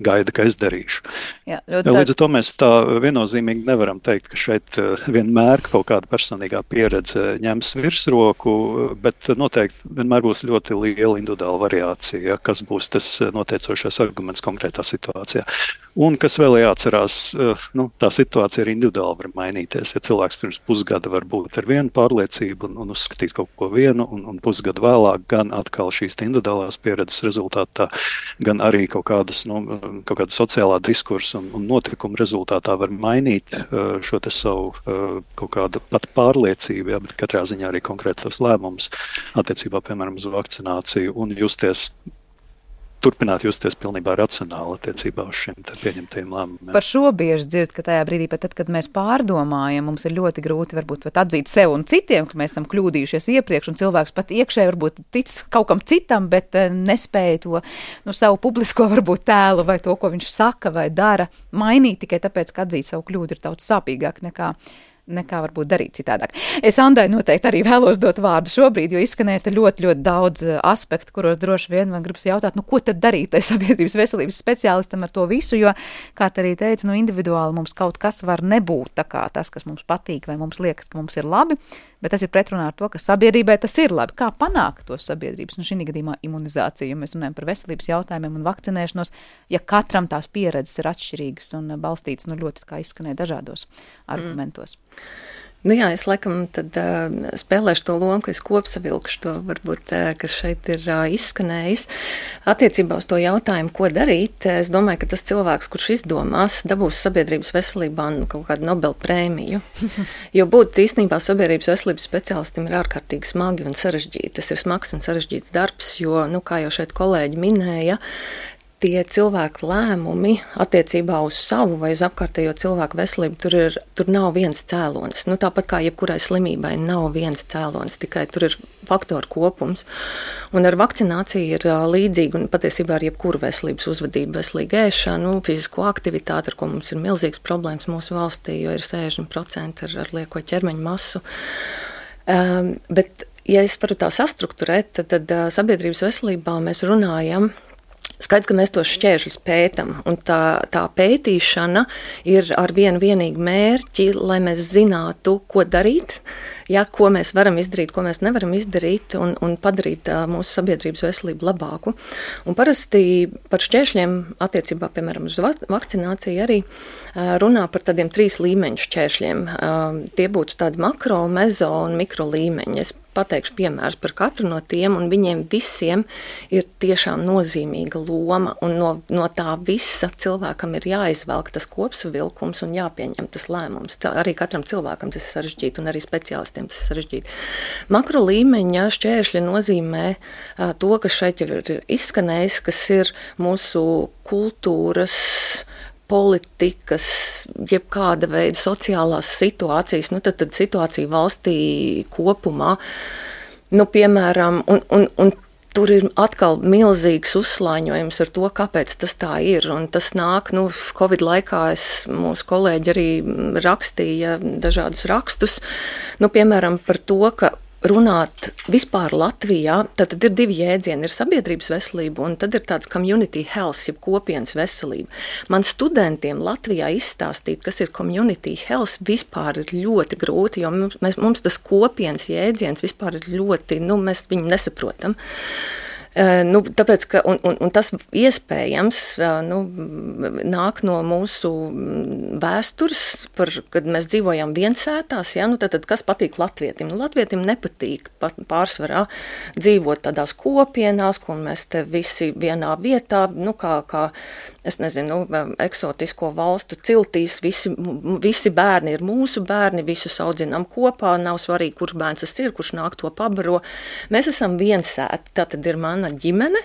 gaida, ka es darīšu. Jā, līdz ar to mēs tā viennozīmīgi nevaram teikt, ka šeit vienmēr kaut kāda personīgā pieredze ņems virsroku, bet noteikti vienmēr būs ļoti liela individuāla variācija, kas būs tas noteicošais arguments konkrētā situācijā. Un kas vēl jāatcerās, tā situācija arī individuāli var mainīties. Ja cilvēks pirms pusgada var būt ar vienu pārliecību un uzskatīt kaut ko vienu, un pusgadu vēlāk gan atkal šīs individuālās pieredzes rezultātā, gan arī kaut kāda sociālā diskursa un notikuma rezultātā var mainīt šo te savu kaut kādu pat pārliecību, bet katrā ziņā arī konkrētos lēmumus attiecībā, piemēram, uz vakcināciju un turpināt justies pilnībā racionāli attiecībā uz šiem pieņemtajiem lēmumiem. Par šo bieži dzird, ka tajā brīdī, pat tad, kad mēs pārdomājam, mums ir ļoti grūti varbūt atzīt sev un citiem, ka mēs esam kļūdījušies iepriekš, un cilvēks pat iekšēji varbūt tic kaut kam citam, bet nespēja to savu publisko varbūt tēlu vai to, ko viņš saka vai dara, mainīt tikai tāpēc, ka atzīt savu kļūdu ir daudz sāpīgāk nekā varbūt darīt citādāk. Es Andai noteikti arī vēlos dot vārdu šobrīd, jo izskanēja ļoti, ļoti daudz aspektu, kuros droši vien man gribas jautāt, ko tad darīt tai sabiedrības veselības speciālistam ar to visu, jo, kā arī teica, individuāli mums kaut kas var nebūt tā kā tas, kas mums patīk vai mums liekas, ka mums ir labi, bet tas ir pretrunā ar to, ka sabiedrībai tas ir labi. Kā panākt to sabiedrības, šī gadījumā imunizāciju, ja mēs runājam par veselības jautājumiem un vakcinēšanos, ja katram tās pieredzes ir atšķirīgas un balstītas ļoti, kā izskanēja, dažādos argumentos. Jā, es laikam tad spēlēšu to lomu, ka es kopsavilkšu to varbūt, kas šeit ir izskanējis. Attiecībā uz to jautājumu, ko darīt, es domāju, ka tas cilvēks, kurš izdomās, dabūs sabiedrības veselībā kaut kādu Nobel prēmiju. Jo būt īstenībā sabiedrības veselības speciālistam ir ārkārtīgi smagi un sarežģīti. Tas ir smags un sarežģīts darbs, jo, kā jau šeit kolēģi minēja, tie cilvēku lēmumi attiecībā uz savu vai uz apkārtējo cilvēku veselību, tur nav viens cēlonis. Tāpat kā jebkurai slimībai nav viens cēlonis, tikai tur ir faktoru kopums. Un ar vakcināciju ir līdzīgi, un patiesībā ar jebkuru veselības uzvedību, veselīgu ēšanu, fizisko aktivitāti, ar ko mums ir milzīgas problēmas mūsu valstī, jo ir 60% ar lieko ķermeņa masu. Bet, ja es varu tā sastrukturēt, tad sabiedrības veselībā mēs runājam. Skaidrs, ka mēs tos šķēršļus pētam, un tā pētīšana ir ar vienu vienīgu mērķi, lai mēs zinātu, ko darīt, ko mēs varam izdarīt, ko mēs nevaram izdarīt, un padarīt mūsu sabiedrības veselību labāku. Un parasti par šķēršļiem attiecībā, piemēram, uz vakcināciju arī runā par tādiem 3 līmeņu šķēršļiem. Tie būtu tādi makro, mezo un mikro līmeņi. Es pateikšu piemērus par katru no tiem, un viņiem visiem ir tiešām nozīmīga loma, un no tā visa cilvēkam ir jāizvelk tas kopsavilkums un jāpieņem tas lēmums. Arī katram cilvēkam tas ir sarežģīti, un arī speciālistiem tas ir sarežģīti. Makro līmeņa šķēršļi nozīmē to, kas šeit jau ir izskanējis, kas ir mūsu kultūras, politikas, jebkāda veida sociālās situācijas, tad situācija valstī kopumā, piemēram, un tur ir atkal milzīgs uzslāņojums ar to, kāpēc tas tā ir, un tas nāk, Covid laikā mūsu kolēģi arī rakstīja dažādus rakstus, piemēram, par to, ka runāt vispār Latvijā, tad ir 2 jēdzieni, ir sabiedrības veselība un tad ir tāds community health, jeb kopienas veselība. Man studentiem Latvijā izstāstīt, kas ir community health, vispār ir ļoti grūti, jo mums tas kopienas jēdziens vispār ir ļoti, mēs viņu nesaprotam. Tāpēc, ka, un tas iespējams nāk no mūsu vēstures, kad mēs dzīvojam viensētās, tad kas patīk latvietim? Latvietim nepatīk pārsvarā dzīvot tādās kopienās, kur mēs te visi vienā vietā, kā es nezinu, eksotisko valstu ciltīs, visi bērni ir mūsu bērni, visus audzinām kopā, nav svarīgi, kurš bērns tas ir, kurš nāk to pabaro. Mēs esam viensēti, tā tad ir mana ģimene,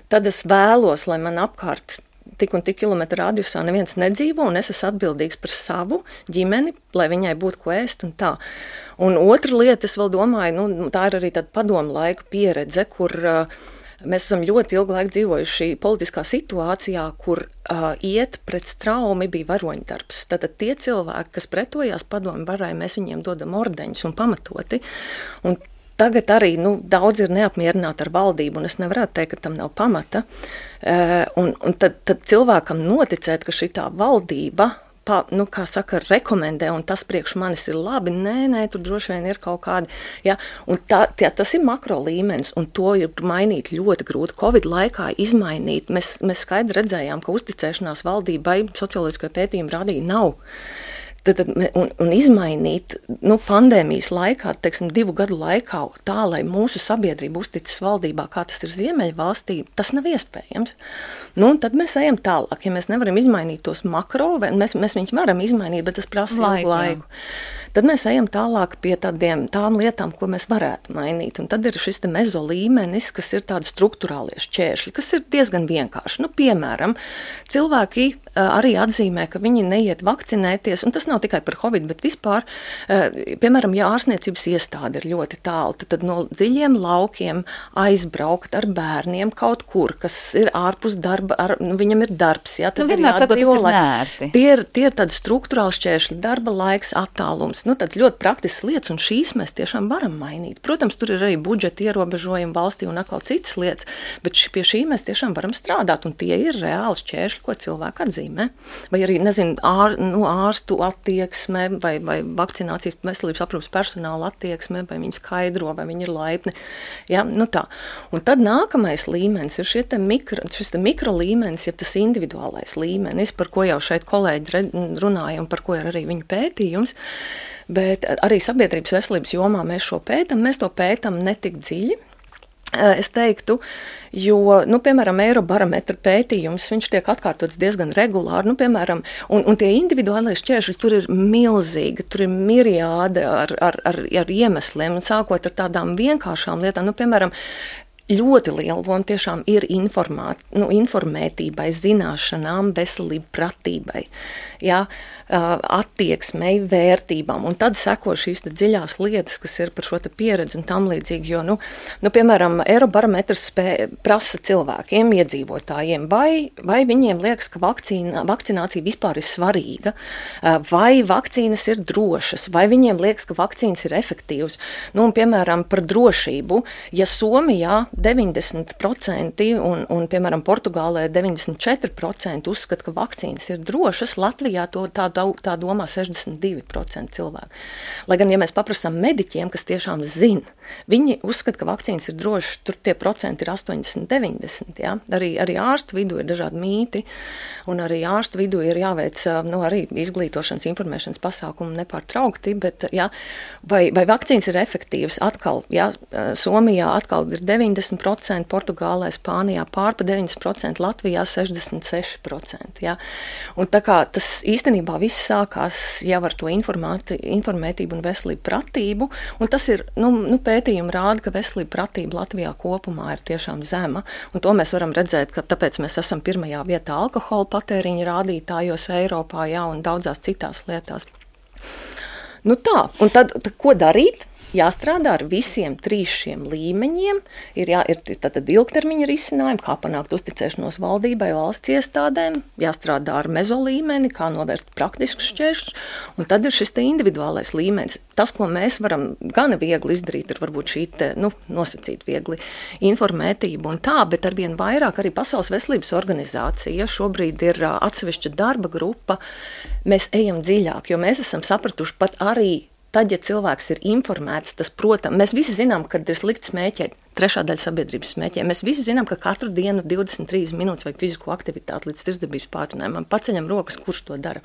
tad es vēlos, lai man apkārt tik un tik kilometru radiusā neviens nedzīvo, un es esmu atbildīgs par savu ģimeni, lai viņai būtu ko ēst un tā. Un otra lieta, es vēl domāju, tā ir arī tāda padomu laika pieredze, kur mēs esam ļoti ilgu laiku dzīvojuši politiskā situācijā, kur iet pret straumi bija varoņdarbs. Tātad tie cilvēki, kas pretojās padomu varai, mēs viņiem dodam ordeņus un pamatoti. Un tagad arī daudz ir neapmierināti ar valdību, un es nevarētu teikt, ka tam nav pamata. Un tad cilvēkam noticēt, ka šitā valdība kā saka, rekomendē, un tas priekš manis ir labi, nē, tur droši vien ir kaut kādi, ja, un tas ir makro līmenis, un to ir mainīt ļoti grūti. Covid laikā izmainīt, mēs skaidri redzējām, ka uzticēšanās valdībai socioloģiskie pētījumi rādīja nav. Un izmainīt pandēmijas laikā, 2 gadu laikā, tā, lai mūsu sabiedrība uzticas valdībā, kā tas ir Ziemeļvalstī, tas nav iespējams. Un tad mēs ejam tālāk. Ja mēs nevaram izmainīt tos makro, mēs viņus varam izmainīt, bet tas prasa laiku. Tad mēs ejam tālāk pie tām lietām, ko mēs varētu mainīt. Un tad ir šis mezo līmenis, kas ir tādi struktūrālie šķēršļi, kas ir diezgan vienkārši. Piemēram, cilvēki arī atzīmē, ka viņi neiet vakcinēties, un tas nav tikai par Covid, bet vispār, piemēram, ja ārstniecības iestāde ir ļoti tālu, tad no dziļiem laukiem aizbraukt ar bērniem kaut kur, kas ir ārpus darba, viņam ir darbs. Ja, tad vienmēr sakot, tas ir nērti. Tie ir tādi struktūrāli šķēršļi, darba laiks, attālums. Tad ļoti praktisks lietas, un šīs mēs tiešām varam mainīt. Protams, tur ir arī budžeta ierobežojumi valstī un atkal citas lietas, bet pie šī mēs tiešām varam strādāt, un tie ir reāli šķēršļi, ko cilvēki atzīmē. Vai arī, ārstu attieksme, vai vakcinācijas veselības aprūpes personāla attieksme, vai viņi skaidro, vai viņi ir laipni. Ja, tā. Un tad nākamais līmenis ir šis mikro līmenis, ja tas individuālais līmenis, par ko jau šeit kolēģi runāja un par ko ir arī viņu pētījums. Bet arī sabiedrības veselības jomā mēs to pētam netik dziļi. Es teiktu, jo, piemēram, Eirobarometra pētījums, viņš tiek atkārtots diezgan regulāri, piemēram, un tie individuālais šķēršļi tur ir milzīgi, tur ir miriāde ar iemesliem, un sākot ar tādām vienkāršām lietām, piemēram, ļoti liela loma tiešām ir informētībai, zināšanām, veselību, pratībai, ja, attieksmei, vērtībām. Un tad seko šīs dziļās lietas, kas ir par šo pieredzi un tam līdzīgi. Jo, piemēram, Eirobarometrs prasa cilvēkiem, iedzīvotājiem, vai viņiem liekas, ka vakcinācija vispār ir svarīga, vai vakcīnas ir drošas, vai viņiem liekas, ka vakcīnas ir efektīvas. Un, piemēram, par drošību, ja Somijā 90% un, piemēram, Portugālē 94% uzskata, ka vakcīnas ir drošas, Latvijā tā domā 62% cilvēku. Lai gan, ja mēs paprasām mediķiem, kas tiešām zina, viņi uzskata, ka vakcīnas ir drošas, tur tie procenti ir 80-90. Ja? Arī ārstu vidū ir dažādi mīti, un arī ārstu vidū ir jāveic arī izglītošanas, informēšanas pasākumi nepārtraukti, bet ja, vai vakcīnas ir efektīvas, atkal, ja, Somijā atkal ir 90%, Portugālē, Spānijā pārpa 90%, Latvijā 66%. Ja? Un tā kā tas īstenībā viss sākās jau ar to informētību un veselību pratību, un tas ir, pētījumi rāda, ka veselība pratība Latvijā kopumā ir tiešām zema, un to mēs varam redzēt, ka tāpēc mēs esam pirmajā vietā alkohola patēriņa rādītājos Eiropā, jā, un daudzās citās lietās. Tā, un tad ko darīt? Jāstrādā ar visiem 3 šiem līmeņiem, ir tātad ilgtermiņa risinājumi, kā panākt uzticēšanos valdībai, valsts iestādēm, jāstrādā ar mezo līmeni, kā novērst praktiskus šķēršļus, un tad ir šis individuālais līmenis. Tas, ko mēs varam gana viegli izdarīt, ir varbūt šī nosacīt viegli informētību un tā, bet arvien vairāk arī Pasaules veselības organizācija šobrīd ir atsevišķa darba grupa, mēs ejam dziļāk, jo mēs esam sapratuši pat arī tad, ja cilvēks ir informēts, tas, protams, mēs visi zinām, kad ir slikti smēķēt, trešā daļa sabiedrības smēķē. Mēs visi zinām, ka katru dienu 23 minūtes vajag fizisko aktivitāti līdz tirdzniecības pātrinājumam. Paceļam rokas, kurš to dara.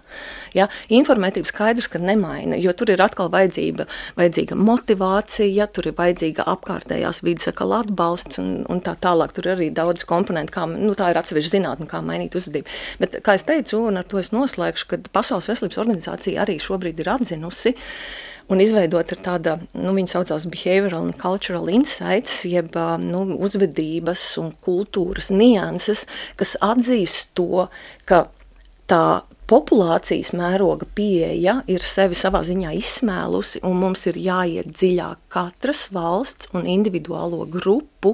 Ja? Informētība skaidrs, ka nemaina, jo tur ir atkal vajadzīga motivācija, tur ir vajadzīga apkārtējās vides atbalsts un tā tālāk. Tur ir arī daudz komponentu, kā, tā ir atsevišķa zinātne, kā mainīt uzvedību. Bet, kā es teicu, un ar to es noslēgšu, ka Pasaules veselības organizācija arī šobrīd ir atzinusi, un izveidot ir tāda, viņa saucās Behavioral and Cultural Insights, jeb uzvedības un kultūras nianses, kas atzīst to, ka tā populācijas mēroga pieeja ir sevi savā ziņā izsmēlusi, un mums ir jāiet dziļāk katras valsts un individuālo grupu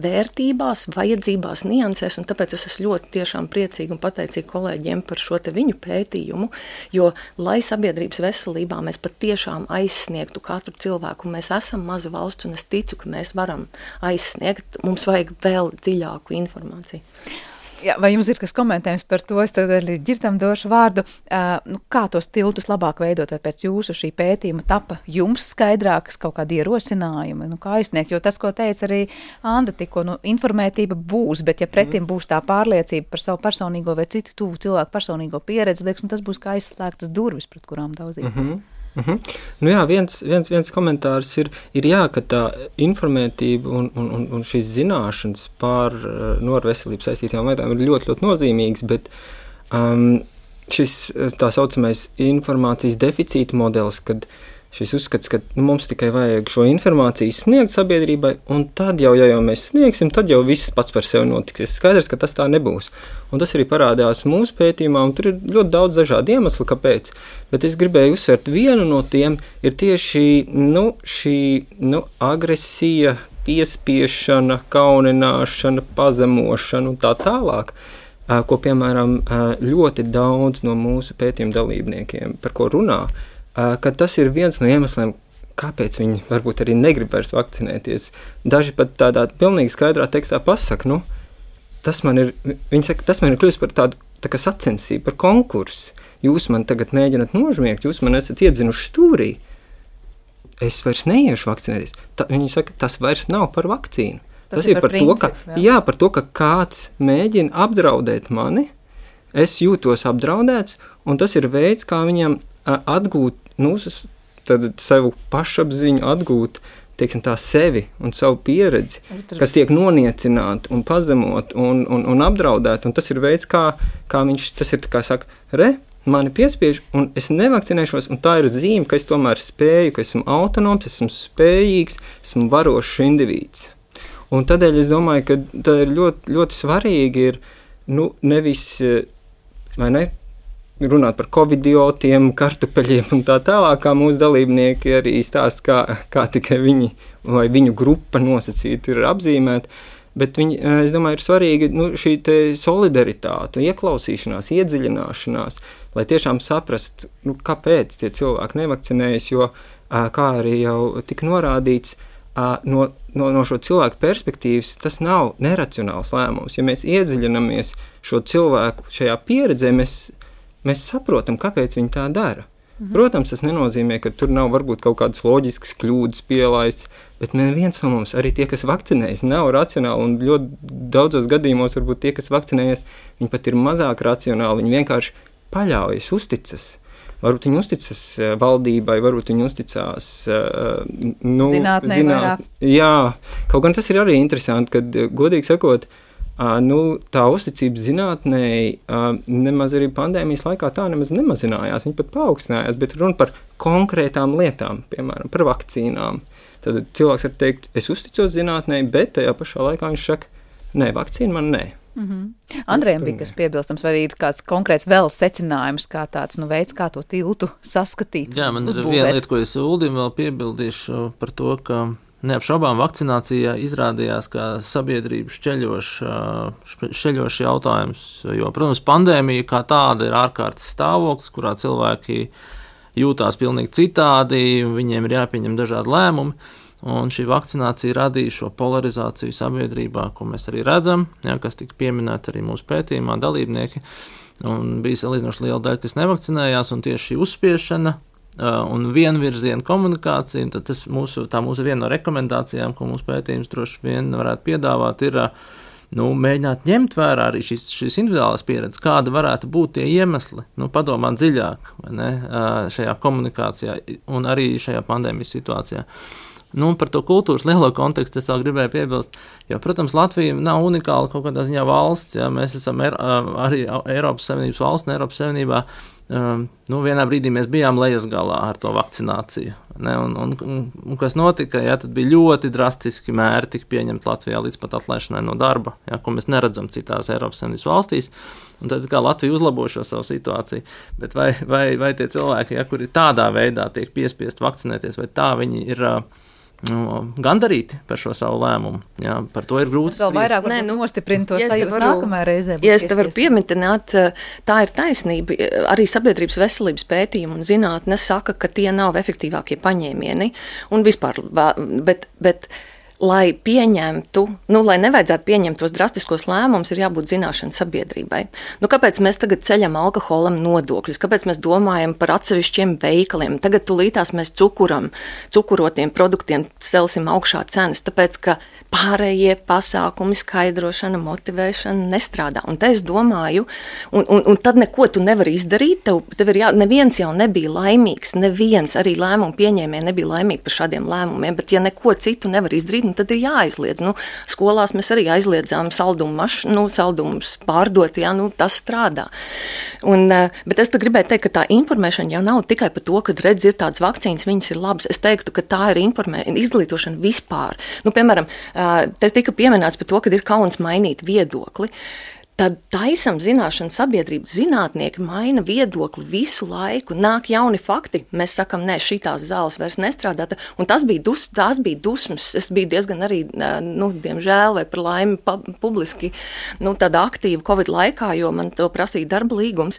vērtībās, vajadzībās, niansēs, un tāpēc es esmu ļoti tiešām priecīga un pateicīga kolēģiem par šo te viņu pētījumu, jo, lai sabiedrības veselībā mēs patiešām aizsniegtu katru cilvēku, un mēs esam maza valsts, un es ticu, ka mēs varam aizsniegt, mums vajag vēl dziļāku informāciju. Jā, vai jums ir kas komentējums par to? Es tad arī Ģirtam došu vārdu. Kā tos tiltus labāk veidot, vai pēc jūsu šī pētījuma tapa jums skaidrākas kaut kādi ierosinājumi, kā aizsniegt? Jo tas, ko teica arī Anda tikko, informētība būs, bet ja pretim būs tā pārliecība par savu personīgo vai citu tuvu cilvēku personīgo pieredzi, liekas, tas būs kā aizslēgtas durvis, pret kurām daudzīties. Nu jā, viens komentārs ir jā, ka tā informētība un šīs zināšanas par ar veselību saistītām lietām ir ļoti, ļoti nozīmīgas, bet šis tā saucamais informācijas deficīta modelis, kad šis uzskats, ka mums tikai vajag šo informāciju sniegt sabiedrībai, un tad jau, ja mēs sniegsim, tad jau viss pats par sevi notiks. Es skaidrs, ka tas tā nebūs. Un tas arī parādās mūsu pētījumā, un tur ir ļoti daudz dažādu iemeslu, kāpēc. Bet es gribēju uzsvērt, vienu no tiem ir tieši šī agresija, piespiešana, kaunināšana, pazemošana un tā tālāk, ko, piemēram, ļoti daudz no mūsu pētījuma dalībniekiem, par ko runā, ka tas ir viens no iemesliem, kāpēc viņi varbūt arī negrib vairs vakcinēties. Daži pat tādā pilnīgi skaidrā tekstā pasaka, viņi saka, tas man ir kļūst par tādu tā kā sacensību, par konkursu. Jūs man tagad mēģināt nožmiegt, jūs man esat iedzinuši stūrī. Es vairs neiešu vakcinēties. Viņi saka, tas vairs nav par vakcīnu. Tas ir par principu, par to, ka kāds mēģina apdraudēt mani, es jūtos apdraudēts, un tas ir veids, kā viņam atgūt savu pašapziņu, atgūt sevi un savu pieredzi, kas tiek noniecināta un pazemot un apdraudēta. Un tas ir veids, kā viņš tas ir, kā saka, mani piespiež, un es nevakcinēšos, un tā ir zīme, ka es tomēr spēju, ka esmu autonoms, esmu spējīgs, esmu varošs indivīds. Un tādēļ es domāju, ka tā ir ļoti, ļoti svarīgi ir, nevis, vai ne, runāt par covidiotiem, kartupeļiem un tā tālāk, kā mūsu dalībnieki arī stāst, kā tikai viņi vai viņu grupa nosacīti ir apzīmēti, bet es domāju, ir svarīgi šī te solidaritāte, ieklausīšanās, iedziļināšanās, lai tiešām saprast, kāpēc tie cilvēki nevakcinējas, jo, kā arī jau tika norādīts, no šo cilvēku perspektīvas tas nav neracionāls lēmums. Ja mēs iedziļinamies šo cilvēku šajā pieredzē, mēs saprotam, kāpēc viņi tā dara. Protams, tas nenozīmē, ka tur nav varbūt kaut kādas loģiskas kļūdas pielaists, bet neviens no mums, arī tie, kas vakcinējas, nav racionāli, un ļoti daudzos gadījumos varbūt tie, kas vakcinējas, viņi pat ir mazāk racionāli, viņi vienkārši paļaujas, uzticas. Varbūt viņi uzticas valdībai, varbūt viņi uzticās zinātnē vairāk. Jā, kaut gan tas ir arī interesanti, kad, godīgi sakot, tā uzticība zinātnēji nemaz arī pandēmijas laikā tā nemaz nemazinājās, viņi pat paaugstinājās, bet runa par konkrētām lietām, piemēram, par vakcīnām. Tad cilvēks var teikt, es uzticos zinātnēji, bet tajā pašā laikā viņš saka, nē, vakcīna man nē. Andrejam bija kas piebilstams, vai ir kāds konkrēts vēl secinājums, kā tāds veids, kā to tiltu saskatīt? Jā, man ir viena lieta, ko es Uldim vēl piebildīšu par to, ka neapšaubām vakcinācijā izrādījās, ka sabiedrība šķeļošs jautājums, jo, protams, pandēmija kā tāda ir ārkārtas stāvoklis, kurā cilvēki jūtās pilnīgi citādi, viņiem ir jāpieņem dažādi lēmumi, un šī vakcinācija radīja šo polarizāciju sabiedrībā, ko mēs arī redzam, kas tika pieminēta arī mūsu pētījumā dalībnieki, un bija salīdzinoši liela daļa, kas nevakcinējās, un tieši šī uzspiešana un vienvirziena komunikācija, tad tā mūsu viena no rekomendācijām, ko mūsu pētījums droši vien varētu piedāvāt, ir mēģināt ņemt vērā arī šīs individuālās pieredzes, kāda varētu būt tie iemesli, padomāt dziļāk, vai ne, šajā komunikācijā un arī šajā pandēmijas situācijā. Nu, par to kultūras lielo kontekstu es vēl gribēju piebilst, jo, protams, Latvija nav unikāla kaut kādā ziņā valsts, ja mēs esam arī Eiropas Savienības valsts un Eiropas Savienībā, vienā brīdī mēs bijām lejas galā ar to vakcināciju, ne, un kas notika, ja, tad bija ļoti drastiski mēri tika pieņemt Latvijā līdz pat atlaišanai no darba, ja, ko mēs neredzam citās Eiropas Savienības valstīs, un tad kā Latvija uzlabo šo savu situāciju, bet vai tie cilvēki, ja, kuri tādā veidā tiek piespiest vakcinēties, vai tā viņi ir gandarīti par šo savu lēmumu. Jā, par to ir grūti. Vēl vairāk nostiprina to sajūtu nākamajā reizē. Ja es te varu pieminēt, tā ir taisnība. Arī sabiedrības veselības pētījumi un zinātne saka, ka tie nav efektīvākie paņēmieni. Un vispār, bet lai pieņemtu, lai nevajadzētu pieņemt tos drastiskos lēmumus, ir jābūt zināšana sabiedrībai. Kāpēc mēs tagad ceļam alkoholam nodokļus? Kāpēc mēs domājam par atsevišķiem veikaliem? Tagad tulītās mēs cukurotiem produktiem celsim augšā cenas, tāpēc, ka pārējie pasākumi, skaidrošana, motivēšana nestrādā. Un te es domāju, un tad neko tu nevari izdarīt, tev ir neviens jau nebija laimīgs, neviens arī lēmumu pieņēmēji nebija laimīgi par šādiem lēmumiem, bet ja neko citu nevar izdarīt, tad ir jāaizliedz. Skolās mēs arī aizliedzām saldumus pārdot, tas strādā. Bet es gribēju teikt, ka tā informēšana jau nav tikai par to, kad redz ir tādas vakcīnas, viņas ir labas. Es teiktu, ka tā ir izglītošana vispār. Piemēram, te tika pieminēts par to, ka ir kauns mainīt viedokli. Tad taisam zināšanu sabiedrību, zinātnieki maina viedokli visu laiku, nāk jauni fakti, mēs sakam, nē, šitās zāles vairs nestrādā, un tās bija dusmas, es biju diezgan arī, diemžēl vai par laimi publiski, tāda aktīva Covid laikā, jo man to prasīja darba līgums,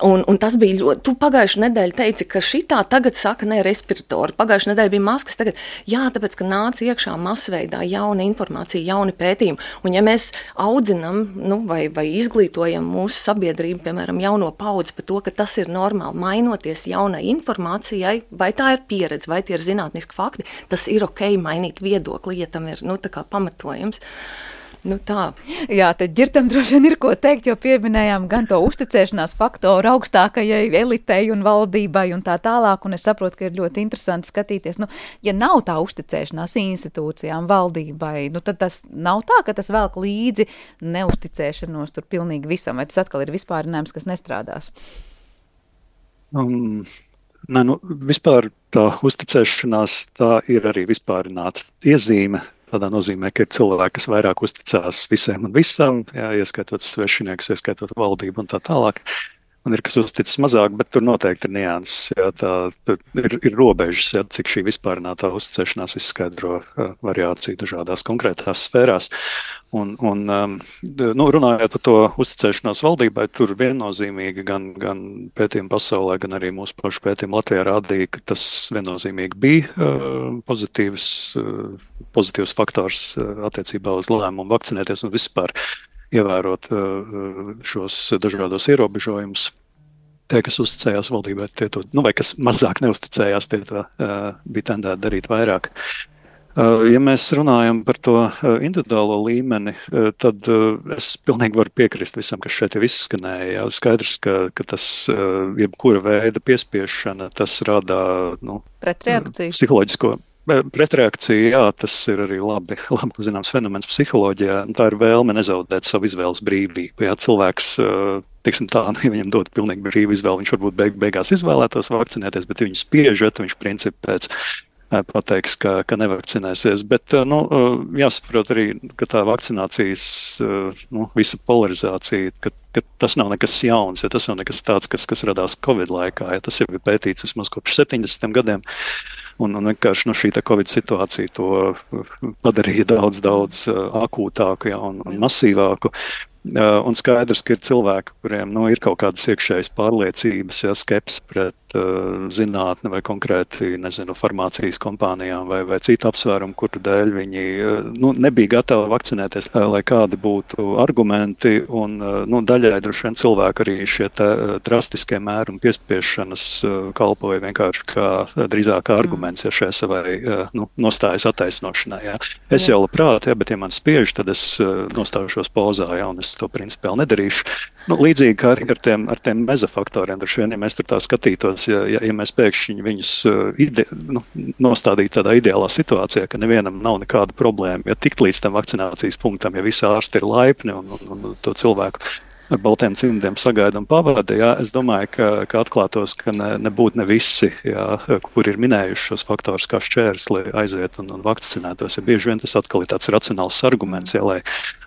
un tas bija ļoti, tu pagājuši nedēļu teici, ka šitā tagad saka, nē, respiratori, pagājuši nedēļu bija maskas, tagad, jā, tāpēc, ka nāca iekšā masveidā jauna informācija, jauni pētījumi, un ja mēs audzinam, vai izglītojam mūsu sabiedrību, piemēram, jauno paudzi par to, ka tas ir normāli mainoties jaunai informācijai, vai tā ir pieredze, vai tie ir zinātniski fakti, tas ir ok mainīt viedokli, ja tam ir, tā kā pamatojums. Tā. Jā, tad ģirtam droši vien ir ko teikt, jo pieminējām gan to uzticēšanās faktoru augstākajai elitei un valdībai un tā tālāk, un es saprotu, ka ir ļoti interesanti skatīties, ja nav tā uzticēšanās institūcijām, valdībai, tad tas nav tā, ka tas velk līdzi neuzticēšanos tur pilnīgi visam, vai tas atkal ir vispārinājums, kas nestrādās? Vispār tā uzticēšanās, tā ir arī vispārināta iezīme. Tādā nozīmē, ka ir cilvēki, kas vairāk uzticās visiem un visam, ieskaitot svešinieks, ieskaitot valdību un tā tālāk. Un ir, kas uzticas mazāk, bet tur noteikti ir nianses. Ir robežas, cik šī vispārinātā uzticēšanās izskaidro variāciju dažādās konkrētās sfērās. Un runājot par to uzticēšanos valdībai, tur viennozīmīgi gan pētījumi pasaulē, gan arī mūsu pašu pētījumi Latvijā rādīja, ka tas viennozīmīgi bija pozitīvs faktors attiecībā uz lēmumu vakcinēties un vispār ievērot šos dažādos ierobežojumus. Tie, kas uzticējās valdībai, vai kas mazāk neuzticējās, tie to bija tendēti darīt vairāk. Ja mēs runājam par to individuālo līmeni, tad es pilnīgi varu piekrist visam, kas šeit jau izskanēja. Skaidrs, ka tas jebkura veida piespiešana, tas rada pretreakciju. Psiholoģisko pretreakciju, jā, tas ir arī labi zināms fenomens psiholoģijā. Tā ir vēlme nezaudēt savu izvēles brīvību. Jā, cilvēks, teiksim tā, ja viņam dod pilnīgi brīvu izvēli, viņš varbūt beigās izvēlētos vakcinēties, bet viņu spiežat, viņš principi pēc pateiks, ka nevakcinēsies, bet jāsaprot arī, ka tā vakcinācijas visa polarizācija, ka tas nav nekas jauns, ja tas nav nekas tāds, kas radās Covid laikā, ja tas jau ir pētīts vismaz kopš 70 gadiem, un vienkārši šī Covid situācija to padarīja daudz akūtāku, ja, un masīvāku. Un skaidrs, ka ir cilvēki, kuriem ir kaut kādas iekšējas pārliecības, ja, skepse pret zinātni vai konkrēti, farmācijas kompānijām vai citu apsvērumu, kuru dēļ viņi nebija gatavi vakcinēties, lai kādi būtu argumenti, un daļai droši vien cilvēki arī šie drastiskie mēri un piespiešanas kalpoja vienkārši drīzāk arguments, ja šai savai nostājas attaisnošanai. Ja. Es jau labprāt, ja, bet ja man spiež, tad es nostājušos pozā, ja, un es es to principiāli nedarīšu. Līdzīgi kā arī ar tiem mezofaktoriem, droši vien, ja mēs tur tā skatītos, ja mēs pēkšņi viņus nostādītu tādā ideālā situācijā, ka nevienam nav nekāda problēma, ja tikt līdz tam vakcinācijas punktam, ja visi ārsti ir laipni un to cilvēku ar baltiem cimdiem sagaida un pavada, es domāju, ka atklātos, ka nebūtu ne visi, kuri ir minējuši šos faktorus kā šķērsli aiziet un vakcinētos. Ja bieži vien tas atkal ir tāds racionāls arguments,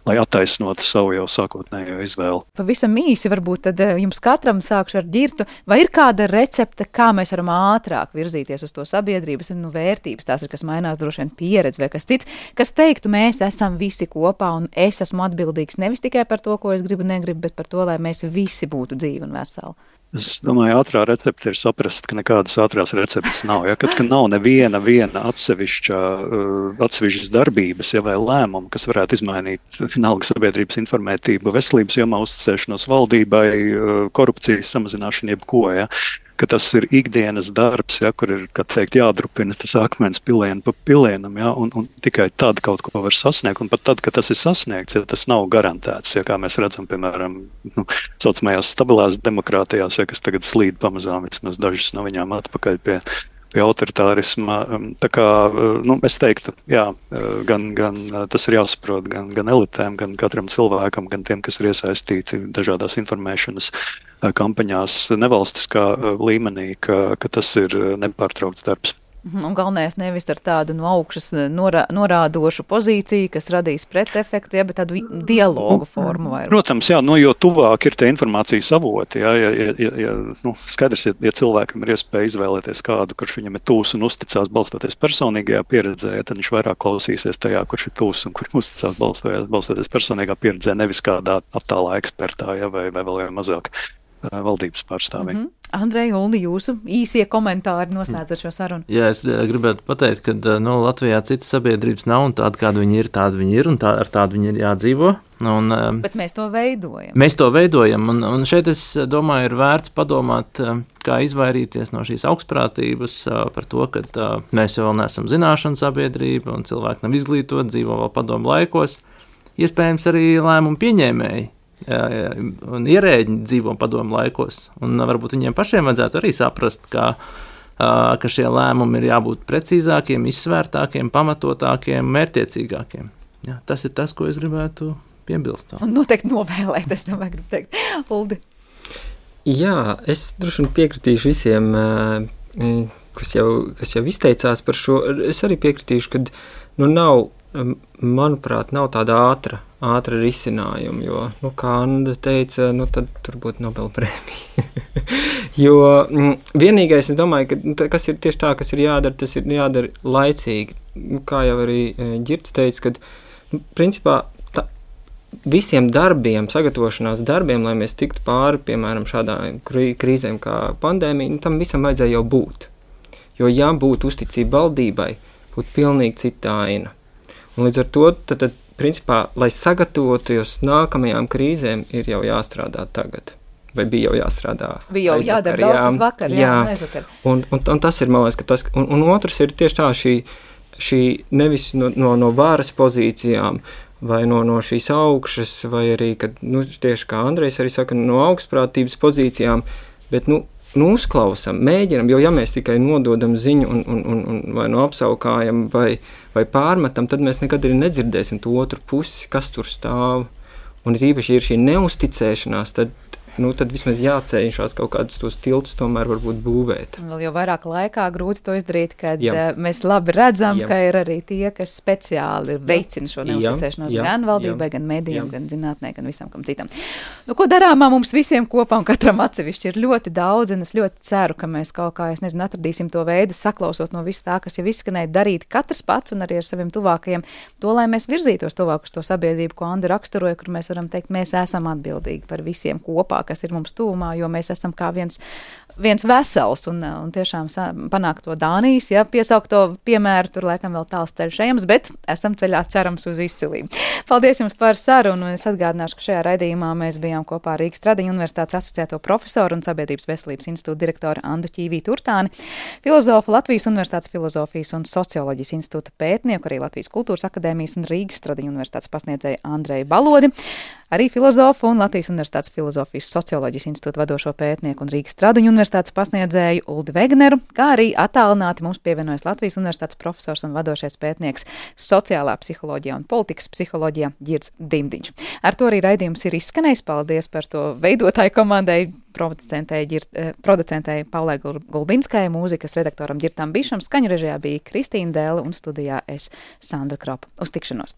lai attaisnotu savu jau sākotnējo izvēli. Pavisam īsi varbūt tad jums katram sākšu ar Ģirtu. Vai ir kāda recepte, kā mēs varam ātrāk virzīties uz to sabiedrības vērtības? Tās ir, kas mainās droši vien pieredze vai kas cits, kas teiktu, mēs esam visi kopā un es esmu atbildīgs nevis tikai par to, ko es gribu, negribu, bet par to, lai mēs visi būtu dzīvi un veseli. Es domāju, ātrā recepte ir saprast, ka nekādas ātrās receptes nav. Kad nav neviena atsevišķas darbības, vai lēmumu, kas varētu izmainīt vienalga sabiedrības informētību, veselības jomā uzticēšanos valdībai, korupcijas samazināšanu, jebko, ka tas ir ikdienas darbs, kur ir, kā teikt, jādrupina tas akmens pilienu pa pilienam, un tikai tad kaut ko var sasniegt, un pat tad, kad tas ir sasniegts, tas nav garantēts, kā mēs redzam, piemēram, saucamajās stabilās demokrātijās, kas tagad slīd pamazām vismaz dažas no viņām atpakaļ pie autoritārisma. Tā kā, es teiktu, gan tas ir jāsaprot gan elitēm, gan katram cilvēkam, gan tiem, kas ir iesaistīti dažādās informēšanas kampaņās nevalstiskā līmenī, ka tas ir nepārtraukts darbs. Un galvenais nevis ar tādu no augšas norādošu pozīciju, kas radīs pretefektu, bet tādu dialogu formu. Protams, jo tuvāk ir tie informācijas avoti. Skaidrs, ja cilvēkam ir iespēja izvēlēties kādu, kurš viņam ir tūs un uzticās balstoties personīgajā pieredzē, tad viņš vairāk klausīsies tajā, kurš ir tūs un kurš uzticās balstoties personīgā pieredzē, nevis kādā attālā ekspertā, vai vēl mazāk valdības pārstāvī. Andrej, Uldi, jūsu īsie komentāri noslēdzot šo sarunu. Jā, es gribētu pateikt, ka Latvijā citas sabiedrības nav, un tāda viņi ir, un ar tādu viņi ir jādzīvo. Bet mēs to veidojam. Mēs to veidojam, un šeit es domāju, ir vērts padomāt, kā izvairīties no šīs augstprātības par to, ka mēs jau vēl neesam zināšanu sabiedrība, un cilvēki nav izglītoti, dzīvo vēl padomu laikos. Iespējams arī lēmumu pieņēmēji. Un ierēģi dzīvo padomu laikos, un varbūt viņiem pašiem vajadzētu arī saprast, ka šie lēmumi ir jābūt precīzākiem, izsvērtākiem, pamatotākiem, mērķtiecīgākiem. Tas ir tas, ko es gribētu piebilst. Un noteikti novēlēt, es domāju, gribu teikt. Uldi. Jā, es droši vien piekritīšu visiem, kas jau izteicās par šo. Es arī piekritīšu, ka nav, manuprāt, nav tāda ātra risinājuma, jo, kā Anda teica, tad tur būtu Nobelprēmija. Jo vienīgais, es domāju, ka kas ir tieši tā, kas ir jādara, tas ir jādara laicīgi. Kā jau arī Ģirts teica, ka, principā, visiem darbiem, sagatavošanās darbiem, lai mēs tiktu pāri, piemēram, šādām krīzēm kā pandēmija, tam visam vajadzēja jau būt. Jo, ja būtu uzticība valdībai, būtu pilnīgi cita aina. Un līdz ar to, tad principā, lai sagatavotos nākamajām krīzēm, ir jau jāstrādā tagad. Vai bija jau jāstrādā? Bija jau jādara daudz tas vakar, aizvakar. Un tas ir, man liekas, ka tas, un otrs ir tieši tā šī nevis no varas pozīcijām, vai no šīs augšas, vai arī, kad, tieši kā Andrejs arī saka, no augstprātības pozīcijām, bet, uzklausam, mēģinam, jo ja mēs tikai nododam ziņu un vai apsaukājam vai pārmetam, tad mēs nekad arī nedzirdēsim to otru pusi, kas tur stāv. Un īpaši ir šī neusticēšanās, tad vismaz jāceļšās kaut kādus tos tiltus tomēr varbūt būvēt. Vēl jau vairāk laikā grūti to izdarīt, kad mēs labi redzam, ka ir arī tie, kas speciāli veicina šo neusticēšanos gan valdībai, gan medijiem, gan zinātnē, gan visam kam citam. Ko darāmā mums visiem kopā un katram atsevišķi ir ļoti daudz, un es ļoti ceru, ka mēs kaut kā, atradīsim to veidu, saklausot no viss tā, kas jau izskanēja, darīt katrs pats un arī ar saviem tuvākajiem, to, lai mēs virzītos tuvāk uz to sabiedrību, ko Anda raksturoja, kur mēs varam teikt, mēs esam atbildīgi par visiem kopā, kas ir mums tuvumā, jo mēs esam kā viens vesels un tiešām panākt to Dānijas, piesaukt to piemēru, tur laikam vēl tāls ceļš ejams, bet esam ceļā cerams uz izcilību. Paldies jums par sarunu, un es atgādināšu, ka šajā raidījumā mēs bijām kopā ar Rīgas Tradiņu universitātes asociēto profesoru un Sabiedrības veselības institūta direktoru Andu Ķīvītu Urtāni, filozofu Latvijas universitātes filozofijas un socioloģijas institūta pētnieku, arī Latvijas kultūras akadēmijas un Rīgas Tradiņu universitātes pasniedzēju Andreju Balodi, arī filozofu un Latvijas Universitātes filozofijas socioloģijas institūta vadošo pētnieku un Rīgas Stradiņu universitātes pasniedzēju Uldi Vegneru, kā arī attālināti mums pievienojas Latvijas Universitātes profesors un vadošais pētnieks sociālā psiholoģijā un politikas psiholoģijā Ģirds Dimdiņš. Ar to arī raidījums ir izskanējis. Paldies par to veidotāju komandai, producentei Paulai Gulbinskai, mūzikas redaktoram Ģirtam Bišam, skaņu režijā bija Kristīna Dēle un studijā es Sandra Kropa. Uz tikšanos!